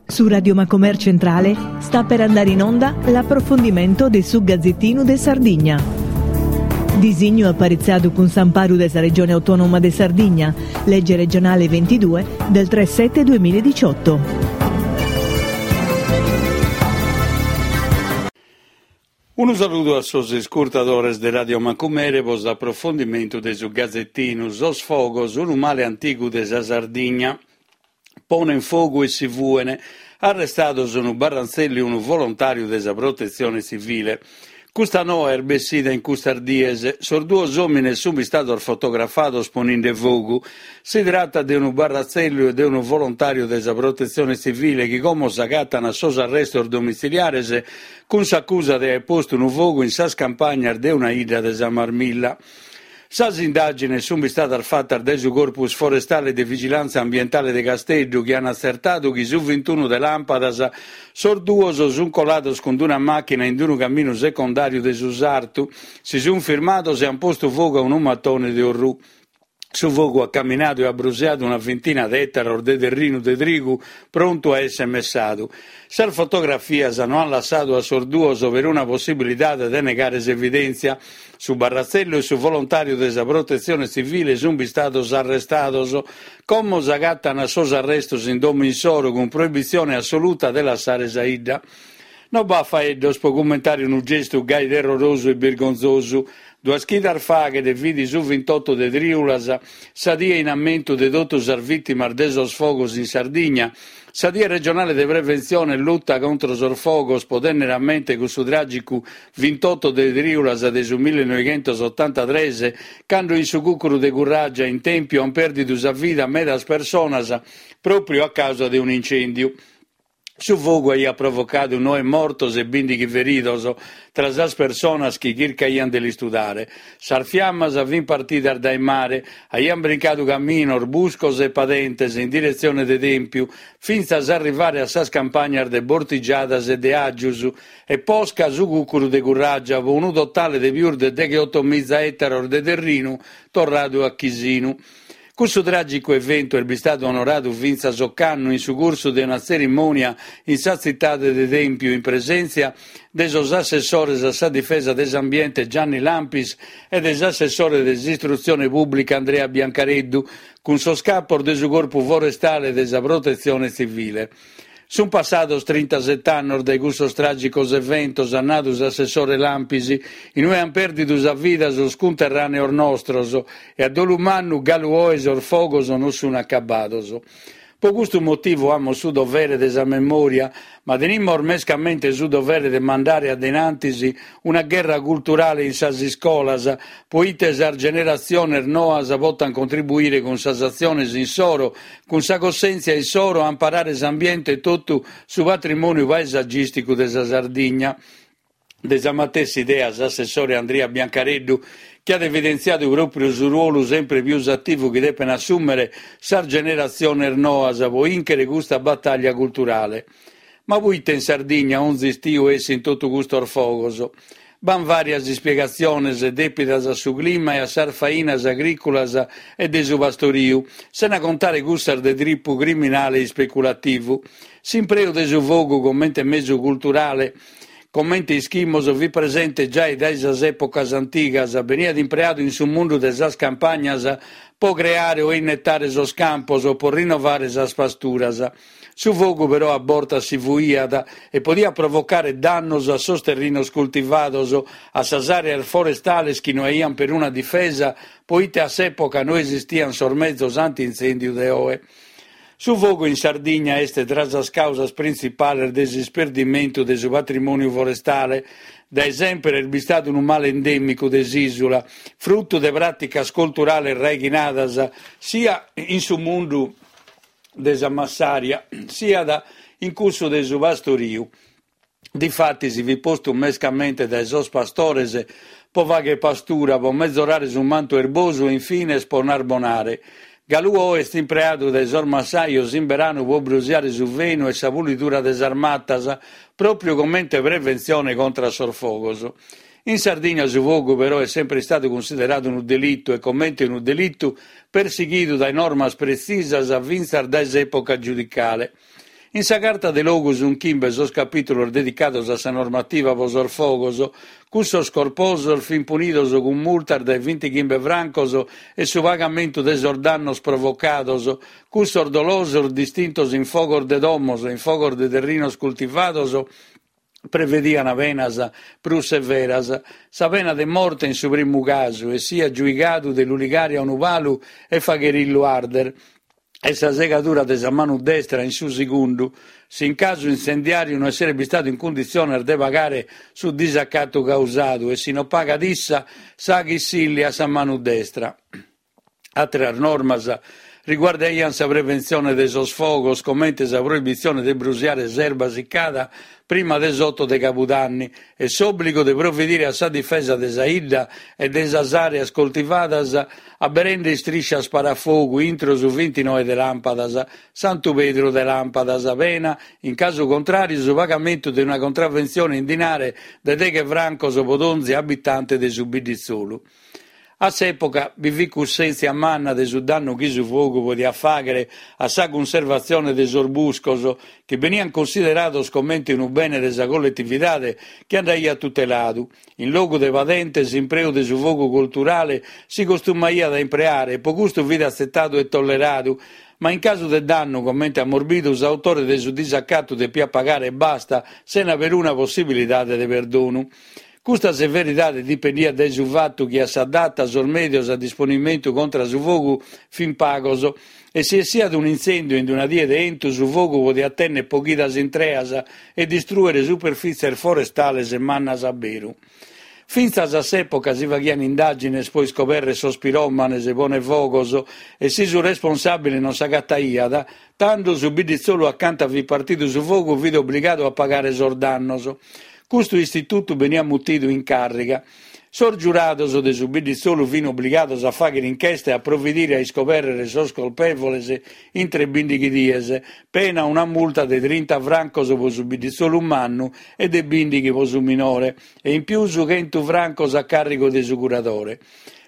Su Radio Macomer Centrale sta per andare in onda l'approfondimento de su Gazzettinu de Sardigna. Disignu aparitzadu cun s'amparu de sa Regione Autonoma de Sardigna, Legge regionale 22 del 3 7 2018. Unu saludu a sos iscurtadores de Radio Macumere pro s'aprofondimentu de su Gazetinu Sos fogos, unu male antigu de sa Sardigna. Ponen fogu e si fuen. Arrestados unu barrantzellu e unu volontàriu de sa Protetzione Tzivile. Custa noa est bessida in custas dies. Sos duos òmines sunt istados fotografados poninde fogu. Si tratat de unu barratzellu e de unu volontàriu de sa Protetzione Tzivile chi como s'agatan a sos arrestos domitziliares cun s'acusa de aer postu unu fogu in sas campagnas de una 'idda de sa Marmilla. Sas indàgines sunt istadas fatas dae su Corpus Forestale de Vigilàntzia Ambientale de Casteddu chi an atzertadu chi su vintunu de làmpadas sos duos sunt colados cun una màchina in unu caminu secondàriu de su sartu, si sunt firmados e an postu fogu a unu matone de orrù. Su fogu at caminadu e at brusiadu una vintina de ètaros de terrinu de trigu prontu a èssere messadu. Sas fotografias no ant lassadu a sos duos peruna possibilidade de negare s'evidèntzia. Su barratzellu e su volontàriu de sa Protetzione Tzivile sunt bistados arrestados. Como s'agatan a sos arrestos in domo insoro cun proibitzione assoluta de lassare sa 'idda. No b'at faeddos pro cummentare unu gestu gai terrorosu e birgonzosu. Duas chidas faghet fit su vintotto de trìulas, sa die in ammentu de totu sas vìtimas de sos fogos in Sardigna, sa die regionale de preventzione e luta contro sos fogos pro tènnere a mente cussu tràgicu vintotto de trìulas de su millenoighentosotantatres, cando in su cùcuru de Curràgia in Tèmpiu ant pèrdidu sa vida medas personas pròpriu a càusa de un'incèndiu. Su fogu aiat provocadu noe mortos e bìndighi feridos tra sas personas chi chircaiant de l'istudare. Sas fiamas fint partidas dae mare, aiant brincadu caminos, buscos e padentes in diretzione de Tèmpiu, fintzas a arrivare a sas campagnas de Bortigiadas e de Aggius e posca su cùcuru de Curràgia, pro unu totale de pius de degheotomiza ètaros de terrinu torradu a chisinu. Cussu tràgicu eventu est bistadu onoradu fintzas ocannu in su cursu de una tzerimònia in sa tzitade de Tèmpiu in presèntzia de sos assessores a sa difesa de s'ambiente Gianni Lampis e de s'assessore de s'istrutzione pùblica Andrea Biancareddu cun sos capos de su Corpu Forestale e de sa Protetzione Tzivile. Sunt passados trintaset'annos dae cussos tràgicos eventos, at nadu s'assessore Lampis, in ue ant pèrdidu sa vida sos cunterràneos nostros e a dolu mannu galu oe sos fogos non sunt acabados. Pro custu motivu amus su dovere de sa memòria, ma tenimus mescamente su dovere de mandare a de in antis una gherra culturale in sas iscolas, pro ite sas generatziones noas potant contribuire cun sas atziones insoro, cun sa cossèntzia issoro a amparare s'ambiente e totu su patrimòniu paesagìsticu de sa Sardigna. De sa matessi idea s'assessore Andria Biancareddu, chi at evidentziadu pròpriu su ruolu sempre pius ativu chi depen assùmere sas generatziones noas pro ìnchere custa batàllia culturale. Ma puite in Sardigna onzi istiu essint totu custos fogos? B'ant vàrias ispiegatziones dèpidas a su clima e a sas fainas agrìculas e de su pastoriu, sena contare cussas de tipu criminale e ispeculativu. S'impreu de su fogu comente mesu culturale, comente ischimus, fit presente giai dae sas èpocas antigas, beniat impreadu in su mundu de sas campagnas pro creare o innetare sos campos o pro rinnovare sas pasturas. Su fogu però a bortas si fuiat e podiat provocare dannos a sos terrinos cultivados, a sas àreas forestales chi no aiant peruna difesa, poite a s'època no esistiant sos mezos anti-intzèndiu de oe. Su fogu in Sardigna est tra sas càusas printzipales de s'isperdimentu de su patrimòniu forestale. Dae semper est bistadu unu male endèmicu de s'ìsula, frutu de pràticas culturales raighinadas sia in su mundu de sa massaria, siat in cussu de su pastoriu. Difatis fit postu mescamente dae sos pastores pro fagher pastura, pro mezorare su mantu erbosu e infines pro narbonare. Galu oe est impreadu dae sos massajos in beranu pro brusiare su fenu e sa pulidura de sas matas, pròpriu comente preventzione contra a sos fogos. In Sardigna su fogu però est sempre istadu cunsideradu unu delitu e comente unu delitu persighidu dae normas pretzisas fintzas dae s'època giudicale. In sa Carta de Logu sunt chimbe sos capìtulos dedicados a sa normativa pro sos fogos. Cussos corposos fint punidos cun multas dae vintichimbe francos e su pagamentu de sos dannos provocados, cussos dolosos distintos in fogos de domos e in fogos de terrinos cultivados prevediant penas prus severas, sa pena de morte in su primu casu, essiat giuigadu de lu ligare a unu palu e fagherillu arder, e sa segadura de sa manu destra in su segundu, si in casu s'intzendiàriu no esseret bistadu in cunditziones de pagare su disacatu causadu e si no pagat issa, sa chi silliat sa manu destra. Àteras normas riguardaiant sa preventzione de sos fogos, comente sa proibitzione de brusiare s'erba sicada prima de s'oto de cabudanni e s'òbligu de providire a sa difesa de sa 'idda e de sas àreas coltivadas aberende istriscias parafogu intro su vintinoe de làmpadas, Santu Pedru de làmpadas, pena, in casu contràriu, su pagamentu de una contraventzione in dinare de deghe francos pro donzi abitante de su bidditzolu. A s'època bi fit cussèntzia manna de su dannu chi su fogu podiat fàghere a sa cunservatzione de sos buscos, chi beniant cunsiderados comente unu bene de sa colletividade chi andaiat tuteladu. In logu de padente s'impreu de su fogu colturale si costumaiat a impreare e pro custu fit atzetadu e tolleradu, ma in casu de dannu, comente amus bidu, s'autore de su disacatu depiat pagare e basta, sena peruna possibilidade de perdonu. Custa severidade dipendiat dae su fatu chi a sa data sos mèdios a disponimentu contra su fogu fin pagos e si essiat un'intzèndiu in una die de 'entu su fogu podiat tènnere po chidas intreas e distrùere superfìtzies forestales mannas a beru. Fintzas a s'època si faghian indàgines pro iscobèrrere sos piròmanes ponefogos e si su responsàbile non s'agataiat, tando su bidditzolu acanta fit partidu su fogu fit obligadu a pagare sos dannos. Custu istitutu beniat mutidu in càrriga. Sos giurados de su bidditzolu fin obligados a fàghere inchesta e a providire a iscobèrrere sos colpèvoles intre bìndighi dies, pena una multa de trinta francos pro su bidditzolu mannu e de bìndighi pro su minore, e in pius chentu francos a càrrigu de su curadore.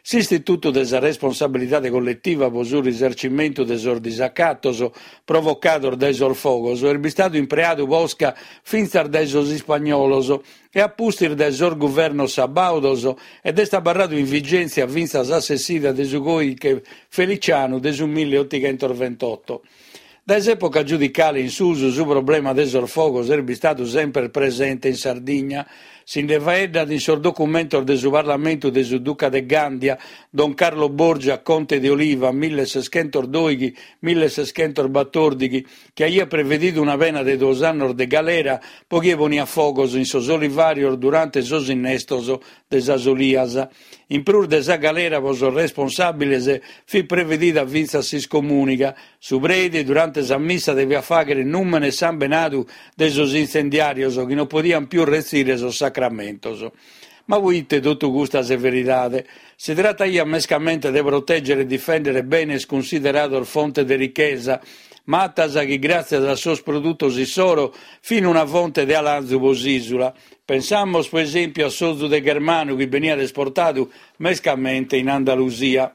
S'istitutu de sa responsabilidade colletiva pro su risarcimentu de sos disacatos provocados dae sos fogos est bistadu impreadu posca fintzas dae sos ispagnolos e a pustis dae sos guvernos sabàudos ed est abarradu in vigèntzia fintzas a s'essida de su Còdighe Felicianu de su milliottighentosventotto. Dae s'època giudicale in susu su problema de sos fogos est bistadu semper presente in Sardigna. Si nde faeddat in sos documentos de su Parlamentu de su Duca de Gàndia, Don Carlo Borgia, conte de Oliva, milleseschentosdòighi, milleseschentosbatòrdighi, chi aiat prevedidu una pena de duos annos de galera pro chie poniat fogos in sos olivàrios durante sos innestos de sas olias. In prus de sa galera pro sos responsàbiles fit prevedida fintzas s'iscomùniga. Su prèide durante sa missa deviat fàghere nùmene e sambenadu de sos intzendiàrios chi non podiant pius retzire sos sacramentos. Ma proite totu custa severidade? Si trataiat mescamente de protègere e difèndere benes cunsiderados fonte de richesa, matas chi gràtzias a sos produtos issoro fin una fonte de alanzu pro s'ìsula. Pensamus pro esèmpiu a s'ozu de ghermanu chi beniat esportadu mescamente in Andalusia.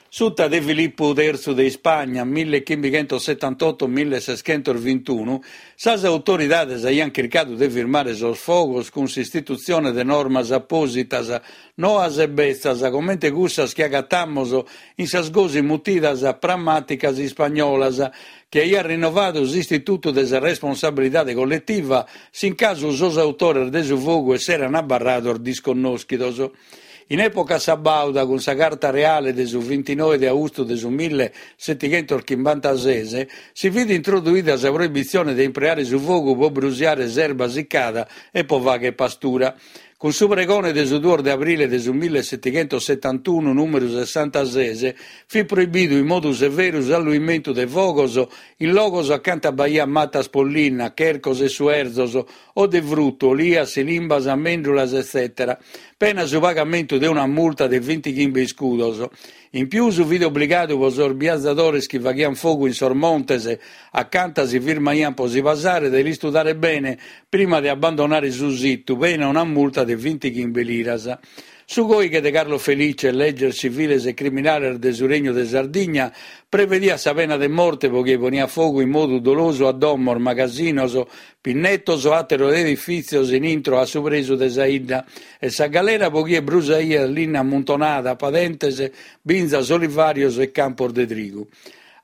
Suta de Filippu tertzu de Ispagna, millichimbichentosetantotto milleseschentosvintunu, sas autoridades aiant chircadu de firmare sos fogos cun s'istitutzione de normas apòsitas, noas e betzas, comente cussas chi agatamus in sas gosi mutidas pramàticas ispagnolas, chi aiat rinnovadu s'istitutu de sa responsabilidade colletiva s'in casu sos autores de su fogu esserant abarrados disconnòschidos. In època sabàuda, cun sa Carta Reale de su vintinoe de austu de su millesetighentoschimbantases, si fit introduida sa proibitzione de impreare su fogu pro brusiare s'erba sicada e pro fàghere pastura. Cun su pregone de su duos de abrile de su millesetighentosetantunu, nùmeru sessantases, fit proibidu in modu severu s'alluimentu de fogos in logos acanta b'aiat matas pro linna, chercos e suerzos, o de frutu, olias, silimbas, mèndulas, etzètera Pena su pagamentu de una multa de vintichimbe iscudos. In pius fit obligadu pro sos biazadores chi faghiant fogu in sos montes acanta si firmaiant pro si pasare de l'istudare bene prima de abbandonare su situ, pena una multa de. de vintighimbe liras. Su còighe de Carlo Felice, Leges civiles e criminales de su Regnu de Sardigna, prevediat sa pena de morte pro chie poniat fogu in modu dolosu a domos, magasinos, pinnetos o àteros edifìtzios in intro a su presu de sa 'idda e sa galera pro chie brusaiat linna ammuntonada, padentes, binzas, olivàrios e campos de trigu.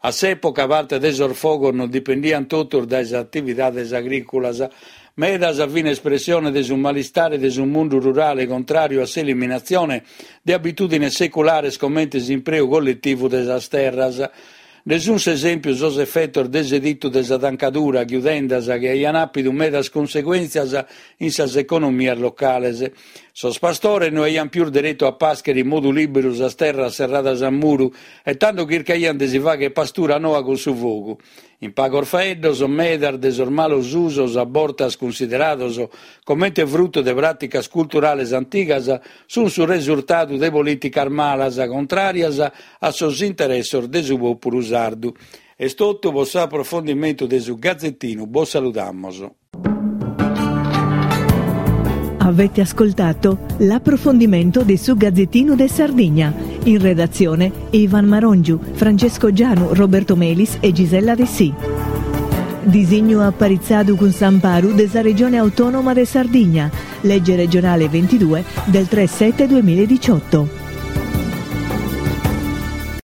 A s'època parte de sos fogos non dipendiant totus dae sas atividades agrìculas. Medas fin espressione de su malistare de su mundu rurale contràriu a s'eliminatzione de abitùdines seculares comente s'impreu colletivu de sas terras. Nde sunt s'esèmpiu sos efetos de s'editu de sa tancadura, chiudendas chi aiant àpidu medas cunseguèntzias in sas economias locales. Sos pastores no aiant pius deretu a pàschere in modu lìberu sas terras serradas a muru e tando chircaiant de si fàghere pastura noa cun su fogu. In pagos faeddos, medas de sos malos usos, a bortas cunsiderados comente frutu de pràticas culturales antigas, sunt su resurtadu de polìticas malas, contràrias a sos interessos de su pòpulu sardu. Est totu pro s'aprofondimentu de su Gazetinu, bos saludamos. Avete ascoltato l'approfondimento di su Gazzettino de Sardigna. In redazione Ivan Marongiu, Francesco Gianu, Roberto Melis e Gisella Dessì. Disignu aparitzadu cun s'amparu de sa Regione Autonoma de Sardigna, legge regionale 22 del 3 7 2018.